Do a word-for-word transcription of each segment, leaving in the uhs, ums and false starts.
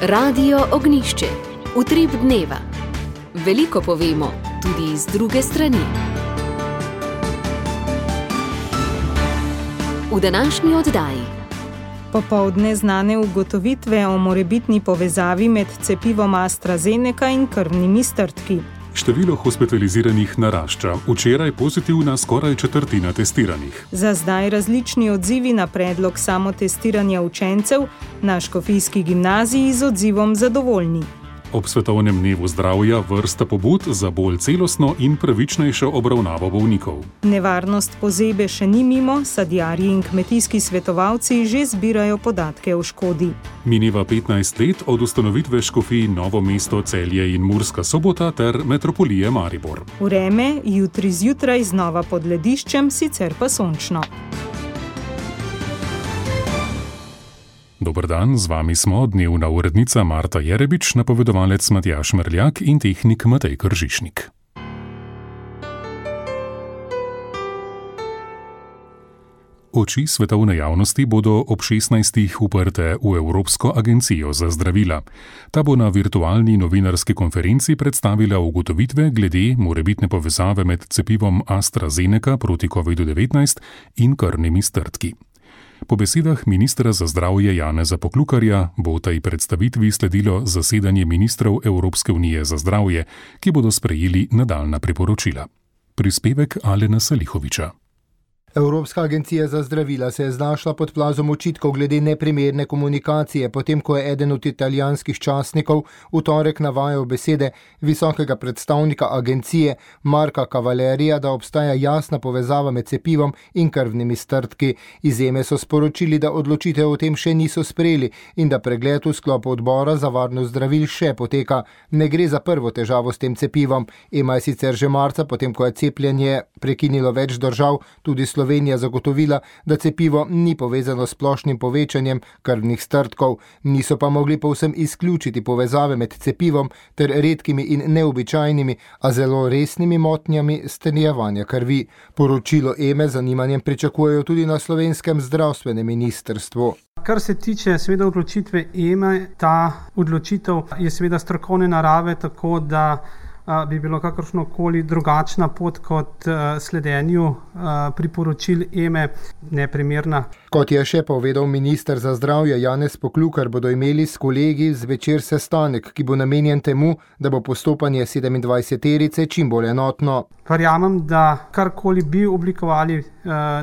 Radio Ognjišče. Utrip dneva. Veliko povemo, tudi iz druge strani. V današnji oddaji. Popoldne znane ugotovitve o morebitni povezavi med cepivom AstraZeneca in krvnimi strdki. Število hospitaliziranih narašča. Včeraj pozitivna skoraj četrtina testiranih. Za zdaj različni odzivi na predlog samotestiranja učencev, na Škofijski gimnaziji z odzivom zadovoljni. Ob svetovnem dnevu zdravja vrsta pobud za bolj celostno in pravičnejšo obravnavo bolnikov. Nevarnost pozebe še ni mimo, sadjarji in kmetijski svetovalci že zbirajo podatke o škodi. Mineva petnajst let od ustanovitve škofij Novo mesto, Celje in Murska Sobota ter metropolije Maribor. Vreme jutri zjutraj znova pod lediščem, sicer pa sončno. Dober dan, z vami smo dnevna urednica Marta Jerebič, napovedovalec Matjaž Merljak in tehnik Matej Kržišnik. Oči svetovne javnosti bodo ob šestnajstih uprte v Evropsko agencijo za zdravila. Ta bo na virtualni novinarski konferenci predstavila ugotovitve glede morebitne povezave med cepivom AstraZeneca proti kovidu devetnajst in krvnimi strdki. Po besedah ministra za zdravje Janeza Poklukarja bo tej predstavitvi sledilo zasedanje ministrov Evropske unije za zdravje, ki bodo sprejeli nadaljnja priporočila. Prispevek Alena Salihoviča. Evropska agencija za zdravila se je znašla pod plazom očitkov glede neprimerne komunikacije, potem ko je eden od italijanskih časnikov v torek navajal besede visokega predstavnika agencije Marka Cavalerija, da obstaja jasna povezava med cepivom in krvnimi strdki. Iz E M E so sporočili, da odločitev o tem še niso sprejeli in da pregled v sklopu odbora za varnost zdravil še poteka. Ne gre za prvo težavo s tem cepivom. E M A je sicer že marca, potem ko je cepljenje prekinilo več držav, tudi Slovenija, Slovenija zagotovila, da cepivo ni povezano s splošnim povečanjem krvnih strdkov. Niso pa mogli povsem izključiti povezave med cepivom ter redkimi in neobičajnimi, a zelo resnimi motnjami stenjevanja krvi. Poročilo E M E z zanimanjem pričakujejo tudi na slovenskem zdravstvenem ministrstvu. Kar se tiče seveda odločitve E M E, ta odločitev je seveda strokovne narave, tako da bi bilo kakršnokoli drugačna pot kot sledenju priporočil E M E neprimerna. Kot je še povedal minister za zdravje Janez Poklukar, bodo imeli s kolegi zvečer sestanek, ki bo namenjen temu, da bo postopanje sedemindvajseterice čim bolj enotno. Verjamem, da karkoli bi oblikovali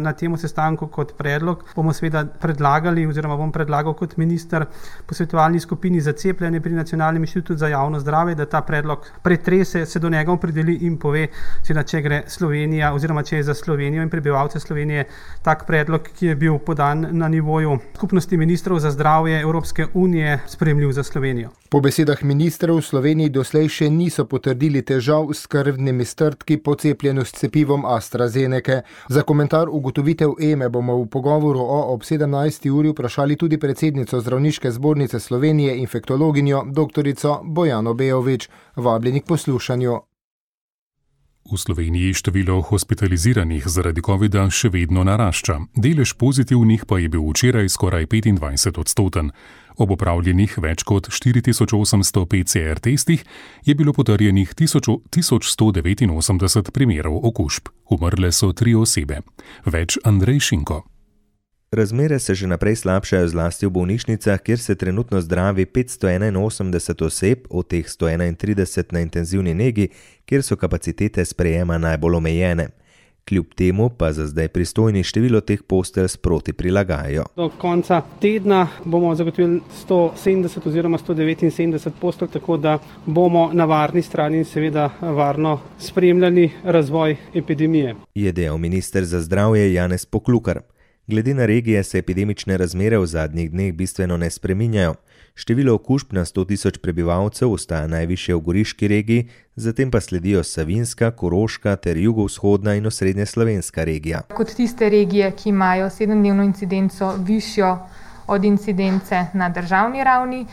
na temu sestanku kot predlog, bomo seveda predlagali oziroma bom predlagal kot minister posvetovalni skupini za cepljenje pri Nacionalnem inštitutu za javno zdravje, da ta predlog pretrese, se do njega opredeli in pove, seveda, če gre Slovenija oziroma če je za Slovenijo in prebivalce Slovenije tak predlog, ki je bil podan na nivoju skupnosti ministrov za zdravje Evropske unije, sprejemljiv za Slovenijo. Po besedah ministrov v Sloveniji doslej še niso potrdili težav s krvnimi strdki po cepljenju s cepivom AstraZeneca. Za komentar ugotovitev E M E bomo v pogovoru o ob sedemnajsti uri vprašali tudi predsednico Zdravniške zbornice Slovenije, infektologinjo doktorico Bojano Bejović. Vabljeni k poslušanju. V Sloveniji število hospitaliziranih zaradi covida še vedno narašča. Delež pozitivnih pa je bil včeraj skoraj petindvajset odstoten. Ob opravljenih več kot štiri tisoč osemsto P C R testih je bilo potrjenih tisoč sto devetinosemdeset primerov okužb. Umrle so tri osebe. Več Andrej Šinko. Razmere se že naprej slabšajo zlasti v bolnišnicah, kjer se trenutno zdravi petsto enainosemdeset oseb, od teh sto enaintrideset na intenzivni negi, kjer so kapacitete sprejema najbolj omejene. Kljub temu pa za zdaj pristojni število teh postelj sproti prilagajajo. Do konca tedna bomo zagotovili sto sedemdeset oziroma sto devetinsedemdeset postelj, tako da bomo na varni strani in seveda varno spremljali razvoj epidemije. Je dejal minister za zdravje Janez Poklukar. Glede na regije se epidemične razmere v zadnjih dneh bistveno ne spreminjajo. Število okužb na sto tisoč prebivalcev ostaja najvišje v Goriški regiji, zatem pa sledijo Savinjska, Koroška ter jugovzhodna in osrednje slovenska regija. Kot tiste regije, ki imajo sedemdnevno incidenco višjo od incidence na državni ravni,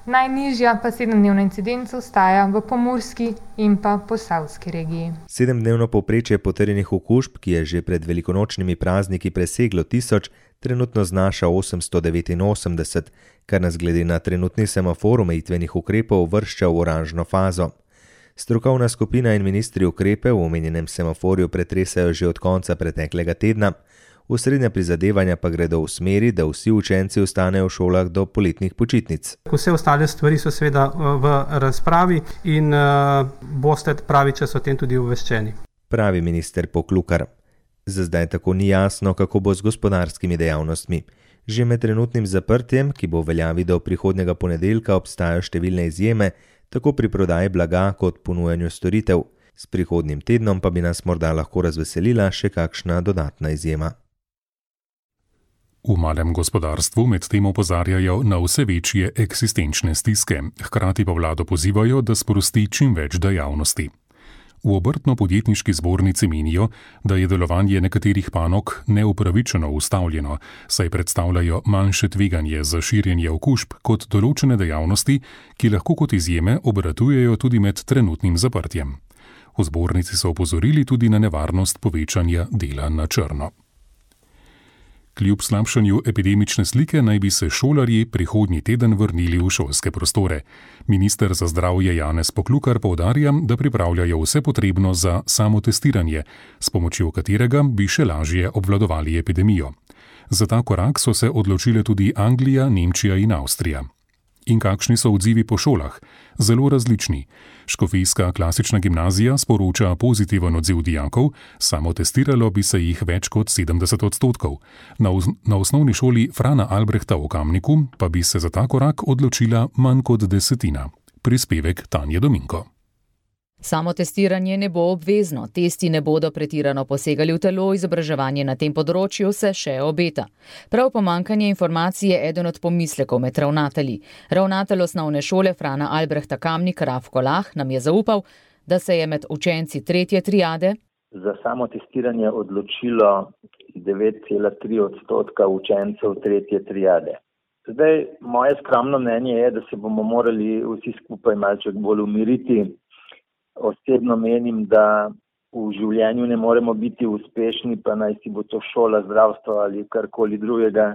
najnižja pa sedemdnevna incidenca ostaja v Pomurski in pa Posavski regiji. Sedemdnevno povprečje potrjenih okužb, ki je že pred velikonočnimi prazniki preseglo tisoč, Trenutno znaša osemsto devetinosemdeset, kar nas glede na trenutni semafor omejitvenih ukrepov vršča v oranžno fazo. Strokovna skupina in ministri ukrepe v omenjenem semaforju pretresajo že od konca preteklega tedna, osrednja prizadevanja pa gredo v smeri, da vsi učenci ostanejo v šolah do poletnih počitnic. Vse ostale stvari so seveda v razpravi in uh, boste pravi čas o tem tudi obveščeni. Pravi minister Poklukar. Za zdaj tako ni jasno, kako bo z gospodarskimi dejavnostmi. Že med trenutnim zaprtjem, ki bo v veljavi do prihodnjega ponedeljka, obstajajo številne izjeme, tako pri prodaji blaga kot ponujanju storitev. S prihodnjim tednom pa bi nas morda lahko razveselila še kakšna dodatna izjema. V malem gospodarstvu medtem opozarjajo na vse večje eksistenčne stiske, hkrati pa vlado pozivajo, da sprosti čim več dejavnosti. V obrtno-podjetniški zbornici menijo, da je delovanje nekaterih panog neupravičeno ustavljeno, saj predstavljajo manjše tveganje za širjenje okužb kot določene dejavnosti, ki lahko kot izjeme obratujejo tudi med trenutnim zaprtjem. V zbornici so opozorili tudi na nevarnost povečanja dela na črno. Kljub slabšanju epidemične slike naj bi se šolarji prihodnji teden vrnili v šolske prostore. Minister za zdravje Janez Poklukar poudarja, da pripravljajo vse potrebno za samotestiranje, s pomočjo katerega bi še lažje obvladovali epidemijo. Za ta korak so se odločile tudi Anglija, Nemčija in Avstrija. In kakšni so odzivi po šolah? Zelo različni. Škofijska klasična gimnazija sporoča pozitiven odziv dijakov, samo testiralo bi se jih več kot sedemdeset odstotkov. Na, na osnovni šoli Frana Albrehta v Kamniku pa bi se za ta korak odločila manj kot desetina. Prispevek Tanje Dominko. Samotestiranje ne bo obvezno, testi ne bodo pretirano posegali v telo, izobraževanje na tem področju se še obeta. Prav pomanjkanje informacij je eden od pomislekov med ravnatelji. Ravnatelj osnovne šole Frana Albrehta Kamnik Rafko Lah nam je zaupal, da se je med učenci tretje triade za samotestiranje odločilo devet cela tri odstotka učencev tretje triade. Zdaj, moje skromno mnenje je, da se bomo morali vsi skupaj malček bolj umiriti. Osebno menim, da v življenju ne moremo biti uspešni, pa naj si bo to šola, zdravstvo ali karkoli drugega,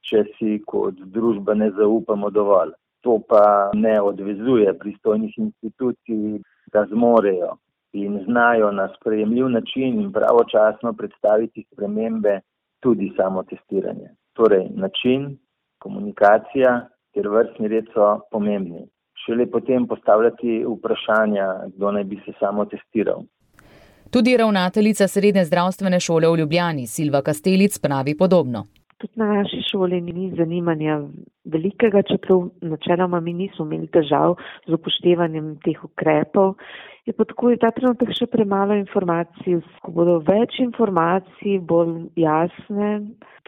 če si kot družba ne zaupamo dovolj. To pa ne odvezuje pristojnih institucij, da zmorejo in znajo na sprejemljiv način in pravočasno predstaviti spremembe, tudi samotestiranje. Torej, način, komunikacija ter vrstni red so pomembni. Šele potem postavljati vprašanja, kdo naj bi se samo testiral. Tudi ravnateljica srednje zdravstvene šole v Ljubljani, Silva Kastelic, pravi podobno. Tudi na naši šoli ni zanimanja velikega, čeprav načeloma mi nismo imeli težav z upoštevanjem teh ukrepov. Je pa tako, ta trenutek še premalo informacij. Ko bodo več informacij, bolj jasne,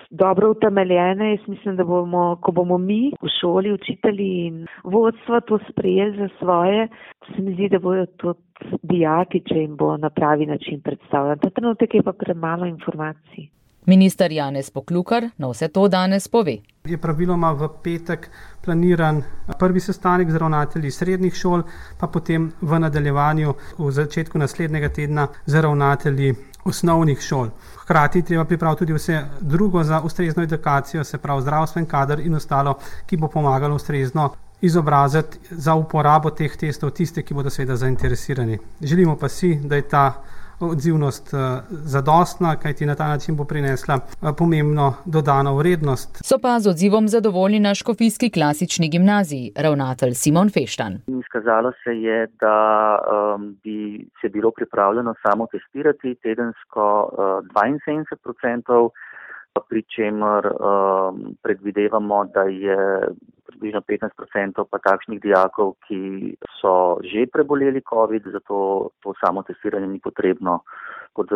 dobro utemeljene, jaz mislim, da bomo, ko bomo mi v šoli, učitelji in vodstva to sprejeli za svoje, se mi zdi, da bodo tudi dijaki, če jim bo na pravi način predstavljen. Ta trenutek je pa premalo informacij. Minister Janez Poklukar na vse to danes pove. Je praviloma v petek planiran prvi sestanek z ravnatelji srednjih šol, pa potem v nadaljevanju v začetku naslednjega tedna z ravnatelji osnovnih šol. Hkrati treba pripraviti tudi vse drugo za ustrezno edukacijo, se pravi zdravstven kader in ostalo, ki bo pomagalo ustrezno izobraziti za uporabo teh testov tiste, ki bodo seveda zainteresirani. Želimo pa si, da je ta odzivnost zadostna, kajti na ta način bo prinesla pomembno dodano vrednost. So pa z odzivom zadovoljni na škofijski klasični gimnaziji, ravnatelj Simon Feštan. Izkazalo se je, da um, bi se bilo pripravljeno samo testirati tedensko uh, dvainsedemdeset procentov, pri čemer um, predvidevamo, da je približno petnajst procentov pa takšnih dijakov, ki so že preboleli COVID, zato to samo testiranje ni potrebno, kot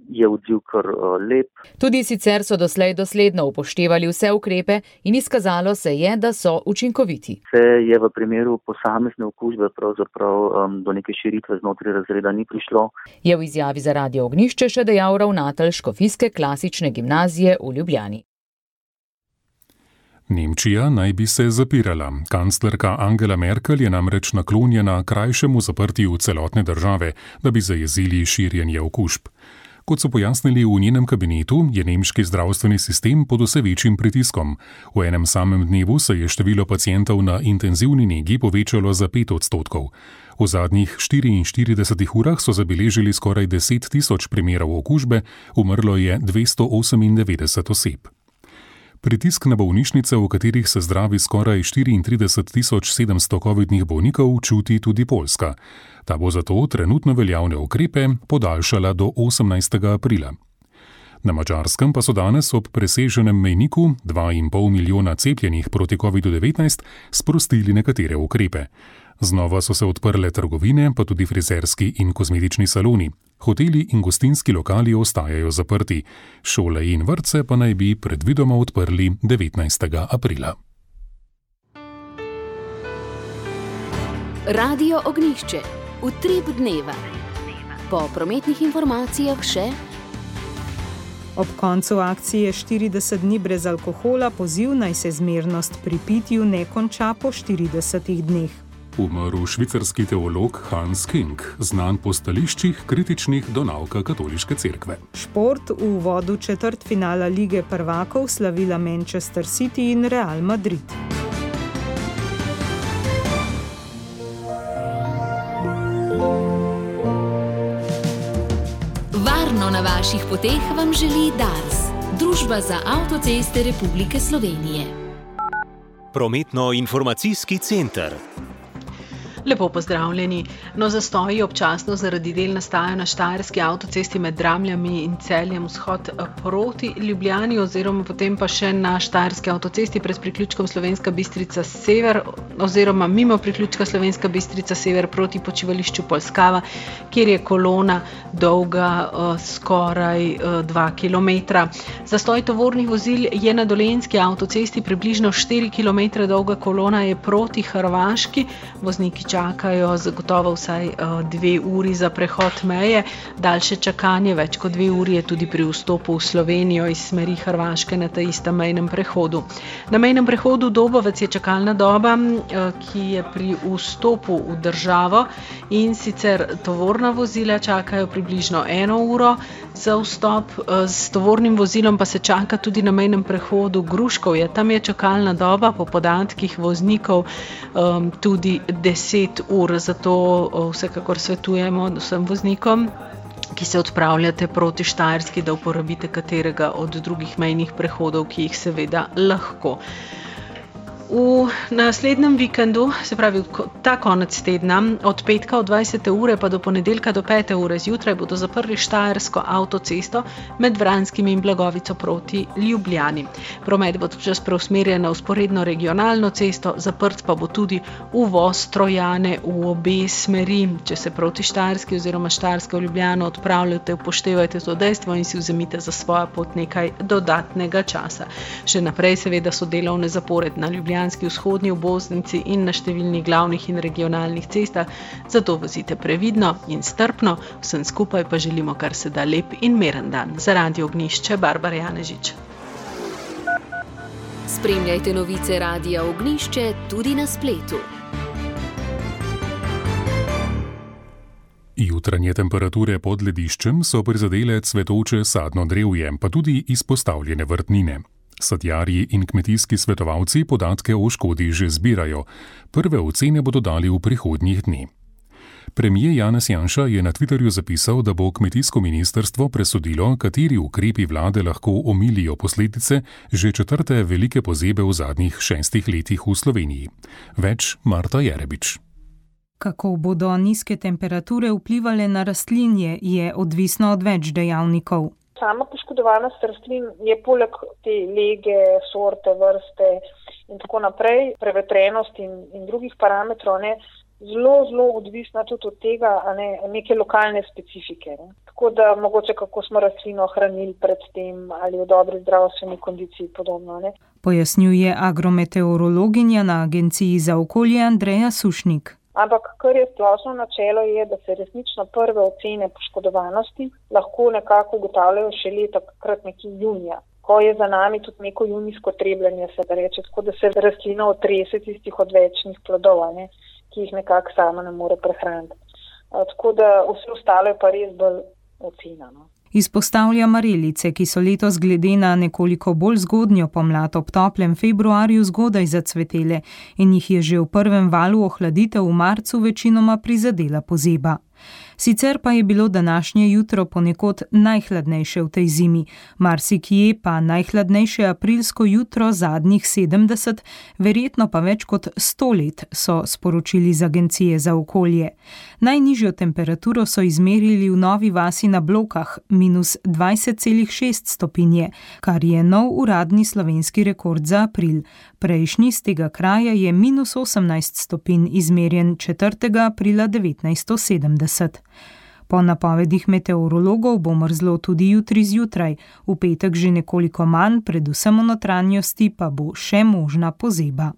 je odziv kar lep. Tudi sicer so doslej dosledno upoštevali vse ukrepe in izkazalo se je, da so učinkoviti. Se je v primeru posamezne okužbe pravzaprav um, do neke širitve znotraj razreda ni prišlo. Je v izjavi za Radio Ognjišče še dejal ravnatelj škofijske klasične gimnazije v Ljubljani. Nemčija naj bi se zapirala. Kanclerka Angela Merkel je namreč naklonjena krajšemu zaprtju celotne države, da bi zajezili širjenje okužb. Kot so pojasnili v njenem kabinetu, je nemški zdravstveni sistem pod vse večjim pritiskom. V enem samem dnevu se je število pacientov na intenzivni negi povečalo za pet odstotkov. V zadnjih štiriinštiridesetih urah so zabeležili skoraj deset tisoč primerov okužbe, umrlo je dvesto osemindevetdeset oseb. Pritisk na bolnišnice, v katerih se zdravi skoraj štiriintrideset tisoč sedemsto covidnih bolnikov, čuti tudi Poljska. Ta bo zato trenutno veljavne ukrepe podaljšala do osemnajstega aprila. Na Madžarskem pa so danes ob preseženem mejniku dva in pol milijona cepljenih proti covidu devetnajst sprostili nekatere ukrepe. Znova so se odprle trgovine, pa tudi frizerski in kozmetični saloni. Hoteli in gostinski lokali ostajajo zaprti. Šole in vrtce pa naj bi predvidoma odprli devetnajstega aprila. Radio Ognjišče. Utrip dneva. Po prometnih informacijah še... Ob koncu akcije štirideset dni brez alkohola poziv naj se zmernost pri pitju ne konča po štiridesetih dneh. Umrl švicarski teolog Hans King, znan po stališčih kritičnih do nauka katoliške cerkve. Šport v uvodu četrtfinala Lige prvakov slavila Manchester City in Real Madrid. Varno na vaših poteh vam želi Dars, Družba za avtoceste Republike Slovenije. Prometno-informacijski center. Lepo pozdravljeni. No, zastoji občasno zaradi del nastajajo na štajerski avtocesti med Dramljami in Celjem vzhod proti Ljubljani oziroma potem pa še na štajerski avtocesti pred priključkom Slovenska Bistrica sever oziroma mimo priključka Slovenska Bistrica sever proti počivališču Poljskava, kjer je kolona dolga uh, skoraj uh, dva kilometra. Zastoj tovornih vozil je na Dolenjski avtocesti, približno štiri kilometre dolga kolona je proti Hrvaški. Vozniki čakajo zagotovo vsaj uh, dve uri za prehod meje. Daljše čakanje, več kot dve uri je tudi pri vstopu v Slovenijo iz smeri Hrvaške na ta istem mejnem prehodu. Na mejnem prehodu Dobovec je čakalna doba, uh, ki je pri vstopu v državo in sicer tovorna vozila čakajo približno eno uro za vstop, uh, s tovornim vozilom pa se čaka tudi na mejnem prehodu Gruškovje. Tam je čakalna doba po podatkih voznikov um, tudi deset ur, zato vsekakor svetujemo vsem voznikom, ki se odpravljate proti Štajerski, da uporabite katerega od drugih mejnih prehodov, ki jih seveda lahko. V naslednjem vikendu, se pravi ta konec tedna, od petka od dvajsete ure pa do ponedeljka do pete ure zjutraj bodo zaprli štajersko avtocesto med Vranskim in Blagovico proti Ljubljani. Promet bo čas preusmerjen na vzporedno regionalno cesto, zaprt pa bo tudi uvoz Trojane v obe smeri. Če se proti Štajerski oziroma Štajersko v Ljubljano odpravljate, upoštevajte to dejstvo in si vzemite za svojo pot nekaj dodatnega časa. Še naprej seveda so delovne zapored na Ljubljani, vzhodni obvoznici in na številnih glavnih in regionalnih cestah, zato vozite previdno in strpno, vsem skupaj pa želimo kar se da lep in miren dan. Za Radio Ognjišče, Barbara Janežič. Spremljajte novice Radia Ognjišče tudi na spletu. Jutranje temperature pod lediščem so prizadele cvetoče sadno drevje, pa tudi izpostavljene vrtnine. Sadjarji in kmetijski svetovalci podatke o škodi že zbirajo. Prve ocene bodo dali v prihodnjih dni. Premier Janez Janša je na Twitterju zapisal, da bo kmetijsko ministrstvo presodilo, kateri ukrepi vlade lahko omilijo posledice že četrte velike pozebe v zadnjih šestih letih v Sloveniji. Več Marta Jerebič. Kako bodo nizke temperature vplivale na rastlinje, je odvisno od več dejavnikov. Sama poškodovanost rastlin je poleg te lege, sorte, vrste in tako naprej, prevetrenost in, in drugih parametrov, ne, zelo, zelo odvisna tudi od tega, a ne, neke lokalne specifike. Ne. Tako da mogoče kako smo rastlino hranili pred tem ali v dobri zdravstveni kondiciji podobno. Ne. Pojasnjuje agrometeorologinja na Agenciji za okolje Andreja Sušnik. Ampak kar je splošno načelo je, da se resnično prve ocene poškodovanosti lahko nekako ugotavljajo še leta, takrat nekje junija, ko je za nami tudi neko junijsko trebljanje, se da reče, tako da se rastlina otrese tistih odvečnih plodov, ne, ki jih nekako sama ne more prehraniti. Tako da vse ostalo je pa res bolj ocena. No. Izpostavlja marelice, ki so letos glede na nekoliko bolj zgodnjo pomlad ob toplem februarju zgodaj zacvetele in jih je že v prvem valu ohladitev v marcu večinoma prizadela pozeba. Sicer pa je bilo današnje jutro ponekod najhladnejše v tej zimi, marsikje pa najhladnejše aprilsko jutro zadnjih sedemdeset, verjetno pa več kot sto let, so sporočili z Agencije za okolje. Najnižjo temperaturo so izmerili v Novi vasi na Blokah, minus dvajset celih šest stopinje, kar je nov uradni slovenski rekord za april. Prejšnji z tega kraja je minus osemnajst stopinj izmerjen četrtega aprila devetnajststo sedemdeset. Po napovedih meteorologov bo mrzlo tudi jutri zjutraj, v petek že nekoliko manj, predvsem v notranjosti pa bo še možna pozeba.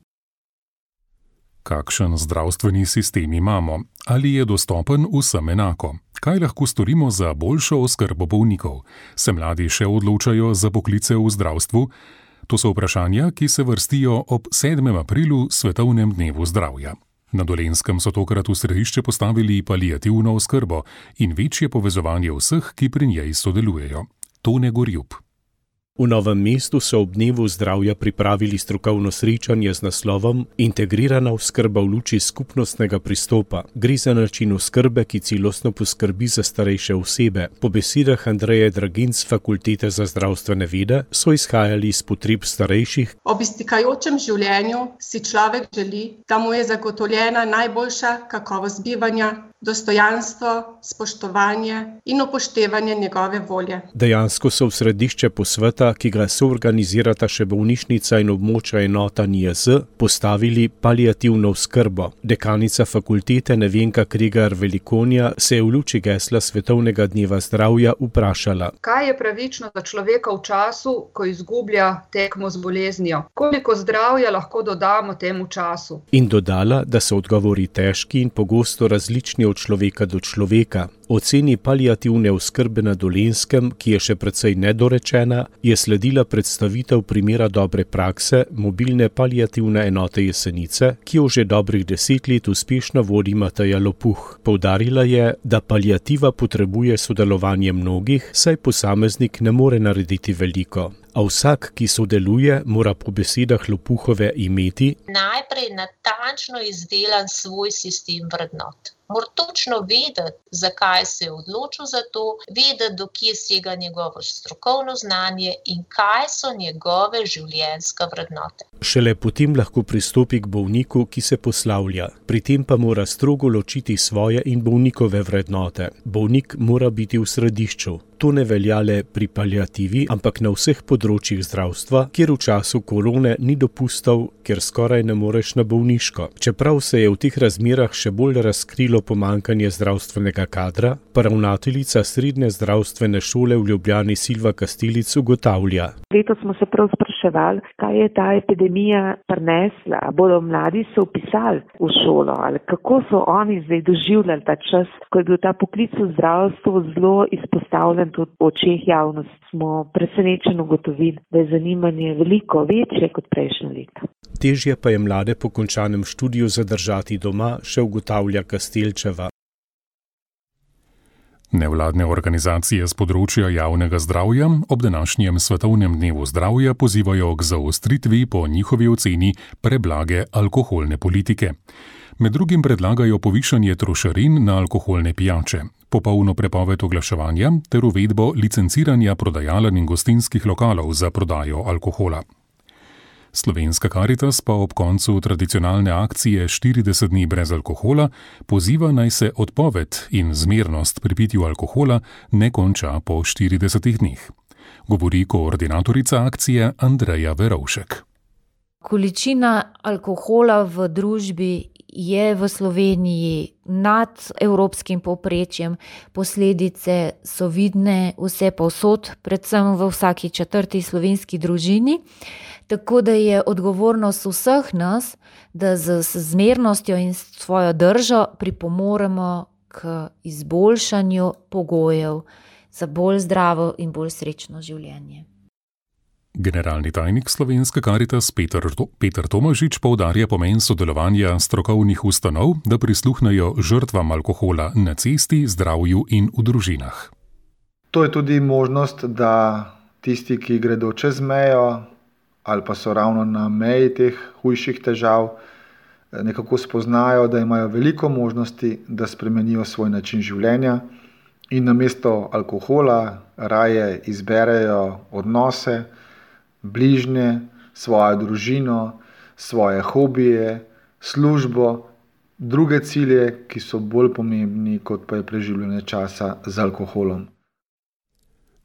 Kakšen zdravstveni sistem imamo? Ali je dostopen vsem enako? Kaj lahko storimo za boljšo oskrbo bolnikov? Se mladi še odločajo za poklice v zdravstvu? To so vprašanja, ki se vrstijo ob sedmem aprilu, Svetovnem dnevu zdravja. Na Dolenjskem so tokrat v središče postavili paliativno oskrbo in večje povezovanje vseh, ki pri njej sodelujejo. Tone Gorjub. V Novem mestu so ob dnevu zdravja pripravili strokovno srečanje z naslovom Integrirana oskrba v luči skupnostnega pristopa. Gre za način oskrbe, ki celostno poskrbi za starejše osebe. Po besedah Andreje Dragin z Fakultete za zdravstvene vede so izhajali iz potreb starejših. Ob iztekajočem življenju si človek želi, da mu je zagotovljena najboljša kakovost bivanja, dostojanstvo, spoštovanje in upoštevanje njegove volje. Dejansko so v središče posveta, ki ga soorganizirata še bolnišnica in območna enota N I Z, postavili paliativno oskrbo. Dekanica fakultete Nevenka Kregar Velikonja se je v luči gesla Svetovnega dneva zdravja vprašala. Kaj je pravično za človeka v času, ko izgublja tekmo z boleznijo? Koliko zdravja lahko dodamo temu času? In dodala, da so odgovori težki in pogosto različni od človeka do človeka. Oceni paliativne oskrbe na Dolenjskem, ki je še precej nedorečena, je sledila predstavitev primera dobre prakse mobilne paliativne enote Jesenice, ki jo že dobrih deset let uspešno vodi Mateja Lopuh. Poudarila je, da paliativa potrebuje sodelovanje mnogih, saj posameznik ne more narediti veliko. A vsak, ki sodeluje, mora po besedah Lopuhove imeti najprej natančno izdelan svoj sistem vrednot. Mora točno vedeti, zakaj se je odločil za to, vedeti, do kje sega njegovo strokovno znanje in kaj so njegove življenjske vrednote. Šele potem lahko pristopi k bolniku, ki se poslavlja. Pri tem pa mora strogo ločiti svoje in bolnikove vrednote. Bolnik mora biti v središču. To ne velja le pri paliativi, ampak na vseh področjih zdravstva, kjer v času korone ni dopustov, ker skoraj ne moreš na bolniško. Čeprav se je v teh razmerah še bolj razkrilo pomanjkanje zdravstvenega kadra, pa ravnateljica srednje zdravstvene šole v Ljubljani Silva Kastelic ugotavlja. Letos smo se prav spraševali, kaj je ta epidemija prinesla. Bodo mladi se vpisali v šolo ali kako so oni zdaj doživljali ta čas, ko je bil ta poklic v zdravstvu zelo izpostavljen tudi v očeh javnosti. Smo presenečeno ugotovili, da je zanimanje veliko večje kot prejšnje leta. Težje pa je mlade po končanem študiju zadržati doma, še ugotavlja Kastelčeva. Nevladne organizacije z področja javnega zdravja ob današnjem Svetovnem dnevu zdravja pozivajo k zaostritvi po njihovi oceni preblage alkoholne politike. Med drugim predlagajo povišanje trošarin na alkoholne pijače, popolno prepoved oglaševanja ter uvedbo licenciranja prodajaln in gostinskih lokalov za prodajo alkohola. Slovenska Karitas pa ob koncu tradicionalne akcije štirideset dni brez alkohola poziva naj se odpoved in zmernost pri pitju alkohola ne konča po štiridesetih dneh. Govori koordinatorica akcije Andreja Verovšek. Količina alkohola v družbi je v Sloveniji nad evropskim povprečjem, posledice so vidne vse povsod, predvsem v vsaki četrti slovenski družini, tako da je odgovornost vseh nas, da z zmernostjo in svojo držo pripomoremo k izboljšanju pogojev za bolj zdravo in bolj srečno življenje. Generalni tajnik Slovenske Karitas Peter, Peter Tomažič poudarja pomen sodelovanja strokovnih ustanov, da prisluhnejo žrtvam alkohola na cesti, zdravju in v družinah. To je tudi možnost, da tisti, ki gredo čez mejo ali pa so ravno na meji teh hujših težav, nekako spoznajo, da imajo veliko možnosti, da spremenijo svoj način življenja in namesto alkohola raje izberejo odnose, bližnje, svojo družino, svoje hobije, službo, druge cilje, ki so bolj pomembni, kot pa je preživljanje časa z alkoholom.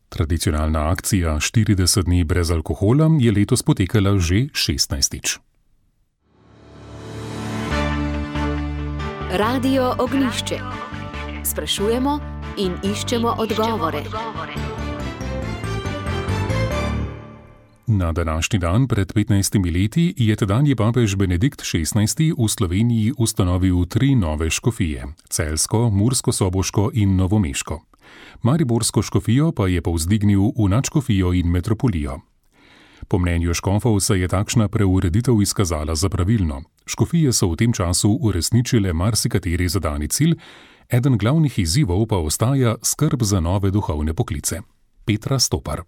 Tradicionalna akcija štirideset dni brez alkohola je letos potekala že šestnajstič. Radio Ognjišče. Sprašujemo in iščemo odgovore. Na današnji dan pred petnajstimi leti je tedanji papež Benedikt šestnajsti v Sloveniji ustanovil tri nove škofije: celjsko, murskosoboško in novomeško. Mariborsko škofijo pa je povzdignil v nadškofijo in metropolijo. Po mnenju škofov se je takšna preureditev izkazala za pravilno. Škofije so v tem času uresničile marsikateri zadani cilj, eden glavnih izzivov pa ostaja skrb za nove duhovne poklice. Petra Stopar.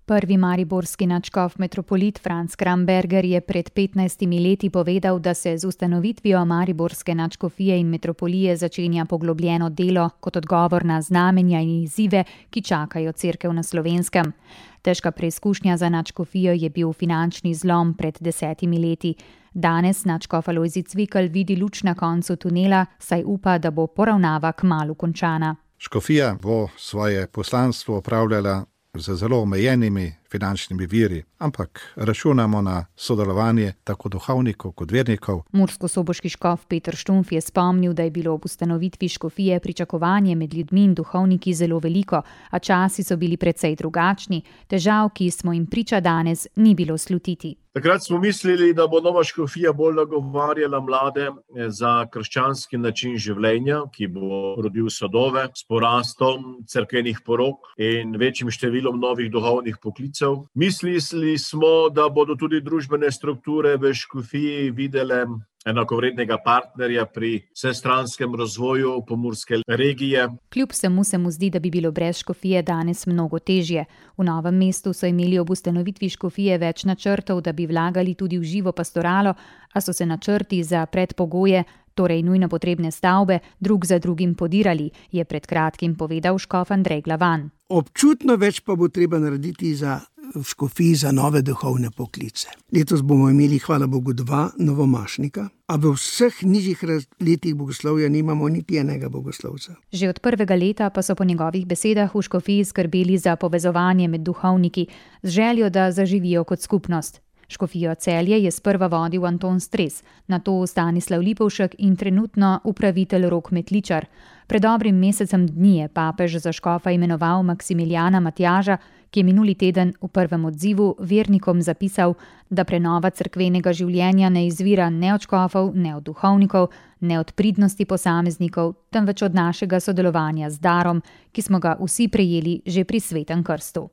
Prvi mariborski nadškof metropolit Franc Kramberger je pred petnajstimi leti povedal, da se z ustanovitvijo mariborske nadškofije in metropolije začenja poglobljeno delo kot odgovor na znamenja in izzive, ki čakajo cerkev na Slovenskem. Težka preizkušnja za nadškofijo je bil finančni zlom pred desetimi leti. Danes nadškof Alojzij Cvikl vidi luč na koncu tunela, saj upa, da bo poravnava kmalu končana. Škofija bo svoje poslanstvo opravljala z zelo omejenimi finančnimi viri, ampak računamo na sodelovanje tako duhovnikov kot vernikov. Murskosoboški škof Peter Štumf je spomnil, da je bilo ob ustanovitvi škofije pričakovanje med ljudmi in duhovniki zelo veliko, a časi so bili precej drugačni. Težav, ki smo jim priča danes, ni bilo slutiti. Takrat smo mislili, da bo nova škofija bolj nagovarjala mlade za krščanski način življenja, ki bo rodil sadove s porastom cerkvenih porok in večjim številom novih duhovnih poklicev. Mislili smo, da bodo tudi družbene strukture v škofiji videle enakovrednega partnerja pri vsestranskem razvoju pomurske regije. Kljub vsemu se mu zdi, da bi bilo brez škofije danes mnogo težje. V Novem mestu so imeli ob ustanovitvi škofije več načrtov, da bi vlagali tudi v živo pastoralo, a so se načrti za predpogoje, torej nujno potrebne stavbe, drug za drugim podirali, je pred kratkim povedal škof Andrej Glavan. Občutno več pa bo treba narediti za v škofiji za nove duhovne poklice. Letos bomo imeli, hvala Bogu, dva novomašnika, a v vseh nižjih letih bogoslovja nimamo niti enega bogoslovca. Že od prvega leta pa so po njegovih besedah v škofiji skrbeli za povezovanje med duhovniki, z željo, da zaživijo kot skupnost. Škofijo Celje je sprva vodil Anton Stres, nato Stanislav Lipovšek in trenutno upravitelj Rok Metličar. Pred dobrim mesecem dni je papež za škofa imenoval Maksimilijana Matjaža, ki je minuli teden v prvem odzivu vernikom zapisal, da prenova cerkvenega življenja ne izvira ne od škofov, ne od duhovnikov, ne od pridnosti posameznikov, temveč od našega sodelovanja z darom, ki smo ga vsi prejeli že pri Svetem krstu.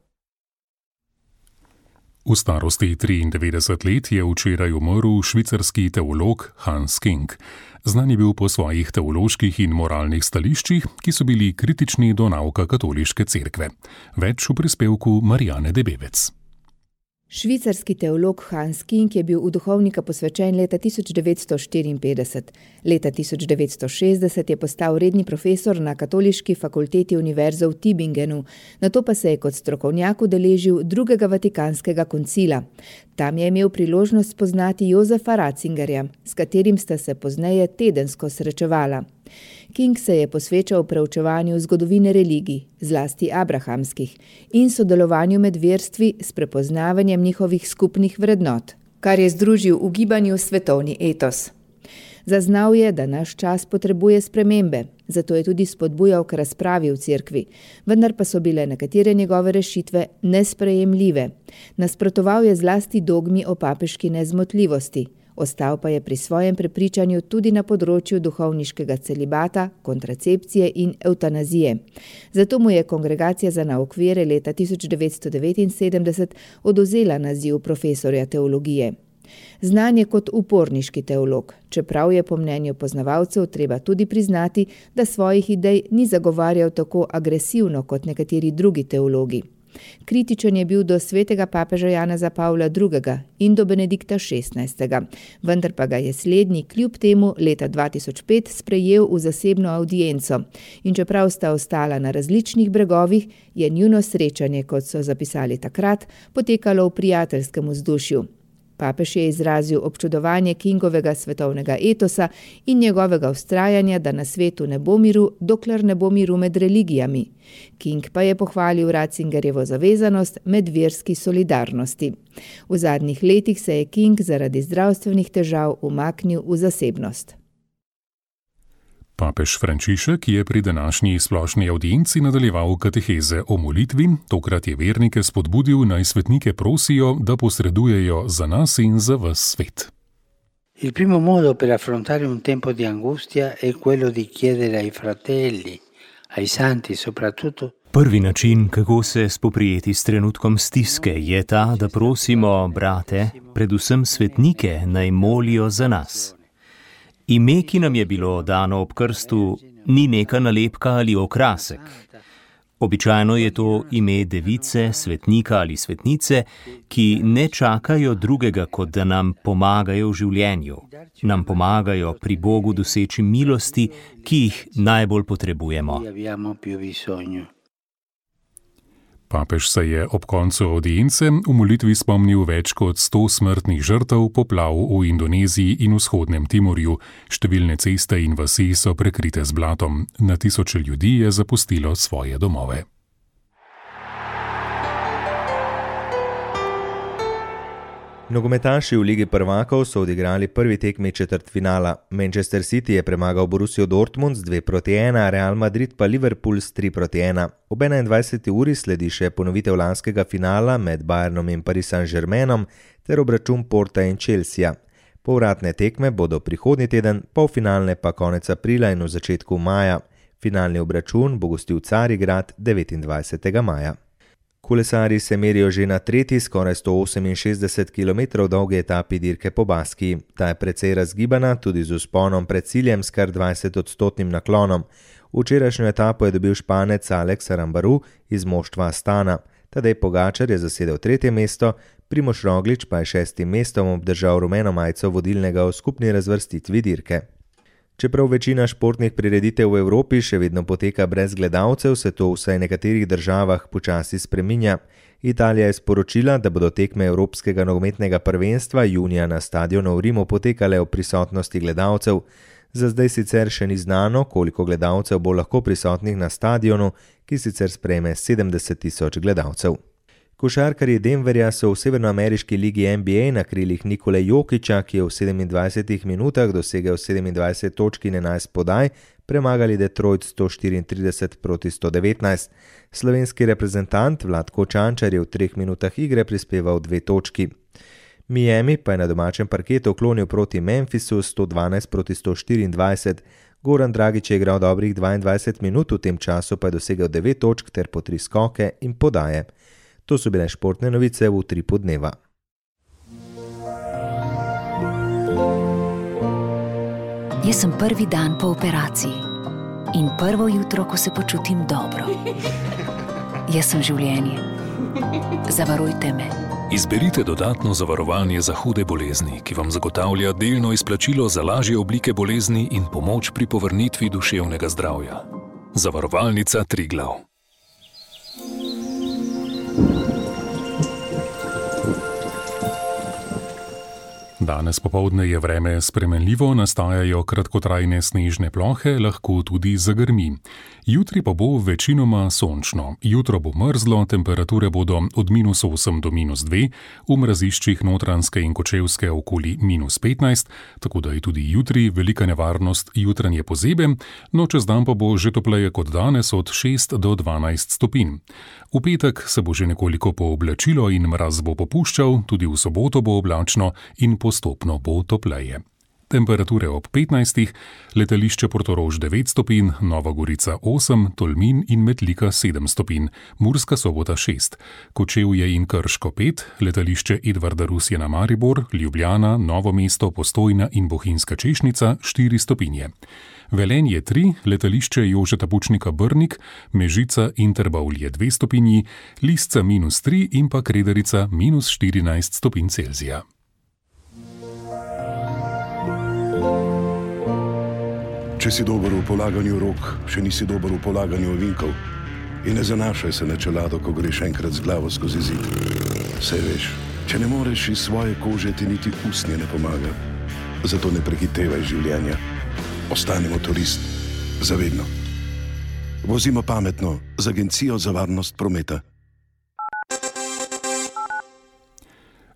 V starosti triindevetdeset let je včeraj umrl švicarski teolog Hans King. Znan je bil po svojih teoloških in moralnih stališčih, ki so bili kritični do nauka katoliške cerkve. Več v prispevku Marijane Debevec. Švicarski teolog Hans King je bil v duhovnika posvečen leta tisoč devetsto štiriinpetdeset. Leta tisoč devetsto šestdeset je postal redni profesor na katoliški fakulteti univerze v Tübingenu, nato pa se je kot strokovnjak udeležil drugega vatikanskega koncila. Tam je imel priložnost spoznati Jozefa Ratzingerja, s katerim sta se pozneje tedensko srečevala. King se je posvečal preučevanju zgodovine religij, zlasti abrahamskih, in sodelovanju med verstvi s prepoznavanjem njihovih skupnih vrednot, kar je združil v gibanju svetovni etos. Zaznal je, da naš čas potrebuje spremembe, zato je tudi spodbujal k razpravi v cerkvi, vendar pa so bile nekatere njegove rešitve nesprejemljive. Nasprotoval je zlasti dogmi o papeški nezmotljivosti. Ostal pa je pri svojem prepričanju tudi na področju duhovniškega celibata, kontracepcije in evtanazije. Zato mu je Kongregacija za nauk vere leta tisoč devetsto devetinsedemdeset odvzela naziv profesorja teologije. Znan je kot uporniški teolog, čeprav je po mnenju poznavalcev treba tudi priznati, da svojih idej ni zagovarjal tako agresivno kot nekateri drugi teologi. Kritičen je bil do svetega papeža Janeza Pavla drugega in do Benedikta šestnajstega, vendar pa ga je slednji kljub temu leta dva tisoč pet sprejel v zasebno avdienco in čeprav sta ostala na različnih bregovih, je njuno srečanje, kot so zapisali takrat, potekalo v prijateljskem vzdušju. Papež je izrazil občudovanje Kingovega svetovnega etosa in njegovega vztrajanja, da na svetu ne bo miru, dokler ne bo miru med religijami. King pa je pohvalil Ratzingerjevo zavezanost medverski solidarnosti. V zadnjih letih se je King zaradi zdravstvenih težav umaknil v zasebnost. Papež Frančišek je pri današnji splošni avdienci nadaljeval kateheze o molitvi, tokrat je vernike spodbudil, naj svetnike prosijo, da posredujejo za nas in za ves svet. Il primo modo per affrontare un tempo di angustia è quello di chiedere ai fratelli, ai santi soprattutto. Prvi način, kako se spoprijeti s trenutkom stiske, je ta, da prosimo brate, predvsem svetnike, naj molijo za nas. Ime, ki nam je bilo dano ob krstu, ni neka nalepka ali okrasek. Običajno je to ime device, svetnika ali svetnice, ki ne čakajo drugega, kot da nam pomagajo v življenju. Nam pomagajo pri Bogu doseči milosti, ki jih najbolj potrebujemo. Papež se je ob koncu avdience v molitvi spomnil več kot sto smrtnih žrtev poplav v Indoneziji in vzhodnem Timorju. Številne ceste in vasi so prekrite z blatom. Na tisoče ljudi je zapustilo svoje domove. Nogometaši v Ligi prvakov so odigrali prvi tekmi četrtfinala. Manchester City je premagal Borussijo Dortmund z dve proti ena, Real Madrid pa Liverpool s tri proti ena. Ob enaindvajseti uri sledi še ponovitev lanskega finala med Bayernom in Paris Saint-Germainom ter obračun Porta in Chelsea. Povratne tekme bodo prihodnji teden, polfinalne pa konec aprila in v začetku maja. Finalni obračun bo gostil Carigrad devetindvajsetega maja. Kolesarji se merijo že na tretji, skoraj sto oseminšestdeset kilometrov dolgi etapi dirke po Baskiji. Ta je precej razgibana, tudi z vzponom pred ciljem s kar dvajsetodstotnim naklonom. Včerajšnjo etapo je dobil Španec Alex Arambaru iz moštva Astana. Tadej Pogačar je zasedel tretje mesto, Primož Roglič pa je šestim mestom obdržal rumeno majico vodilnega v skupni razvrstitvi dirke. Čeprav večina športnih prireditev v Evropi še vedno poteka brez gledalcev, se to vsaj v nekaterih državah počasi spreminja. Italija je sporočila, da bodo tekme Evropskega nogometnega prvenstva junija na stadionu v Rimu potekale v prisotnosti gledalcev. Za zdaj sicer še ni znano, koliko gledalcev bo lahko prisotnih na stadionu, ki sicer sprejme sedemdeset tisoč gledalcev. Košarkarji Denverja so v severnoameriški ligi N B A na krilih Nikole Jokića, ki je v sedemindvajsetih minutah dosegel sedemindvajset točk in enajst podaj, premagali Detroit sto štiriintrideset proti sto devetnajst. Slovenski reprezentant Vlatko Čančar je v treh minutah igre prispeval dve točki. Miami pa je na domačem parketu klonil proti Memphisu sto dvanajst proti sto štiriindvajset. Goran Dragić je igral dobrih dvaindvajset minut, v tem času pa je dosegel devet točk ter po tri skoke in podaje. To so bile športne novice v utripu dneva. Jaz sem prvi dan po operaciji in prvo jutro, ko se počutim dobro. Jaz sem življenje. Zavarujte me. Izberite dodatno zavarovanje za hude bolezni, ki vam zagotavlja delno izplačilo za lažje oblike bolezni in pomoč pri povrnitvi duševnega zdravja. Zavarovalnica Triglav. Danes popoldne je vreme spremenljivo, nastajajo kratkotrajne snežne plohe, lahko tudi zagrmi. Jutri pa bo večinoma sončno. Jutro bo mrzlo, temperature bodo od minus osem do minus dve, v mraziščih Notranjske in Kočevske okoli minus petnajst, tako da je tudi jutri velika nevarnost jutranje pozebe, no čez dan pa bo že topleje kot danes od šest do dvanajst stopinj. V petek se bo že nekoliko pooblačilo in mraz bo popuščal, tudi v soboto bo oblačno in postopno bo topleje. temperature ob petnajstih, letališče Portorož devet stopinj, Nova Gorica osem, Tolmin in Metlika sedem stopinj, Murska Sobota šest, Kočevje in Krško pet, letališče Edvarda Rusjana Maribor, Ljubljana, Novo mesto, Postojna in Bohinjska Češnica štiri stopinje. Velenje tri, letališče Jožeta Pučnika Brnik, Mežica in Trbovlje dve stopinji, Lisca minus tri in pa Krederica minus štirinajst stopinj Celzija. Če si dober v polaganju rok, še nisi dober v polaganju ovinkov. In ne zanašaj se na čelado, ko greš enkrat z glavo skozi zid. Saj veš, če ne moreš iz svoje kože, ti niti usnje ne pomaga. Zato ne prehitevaj življenja. Ostani motorist, zavedno. Vozimo pametno z Agencijo za varnost prometa.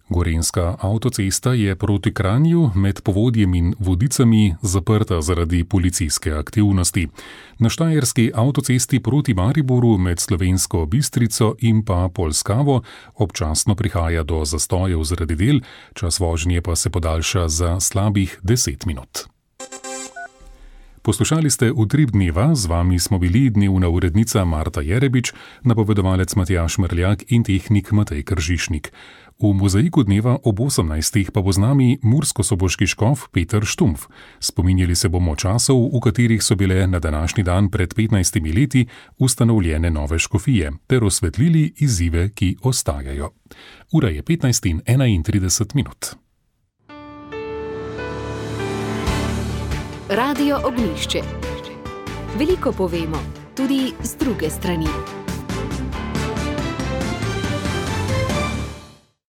Gorenjska avtocesta je proti Kranju med Povodjem in Vodicami zaprta zaradi policijske aktivnosti. Na štajerski avtocesti proti Mariboru med Slovensko Bistrico in pa Polskavo občasno prihaja do zastojev zaradi del, čas vožnje pa se podaljša za slabih deset minut. Poslušali ste Utrip dneva, z vami smo bili dnevna urednica Marta Jerebič, napovedovalec Matjaž Mrljak in tehnik Matej Kržišnik. V mozaiku dneva ob osemnajstih pa bo z nami murskosoboški škof Peter Štumpf. Spominjali se bomo časov, v katerih so bile na današnji dan pred petnajstimi leti ustanovljene nove škofije, ter osvetlili izzive, ki ostajajo. Ura je petnajst in enaintrideset minut. Radio Ognjišče. Veliko povemo, tudi z druge strani.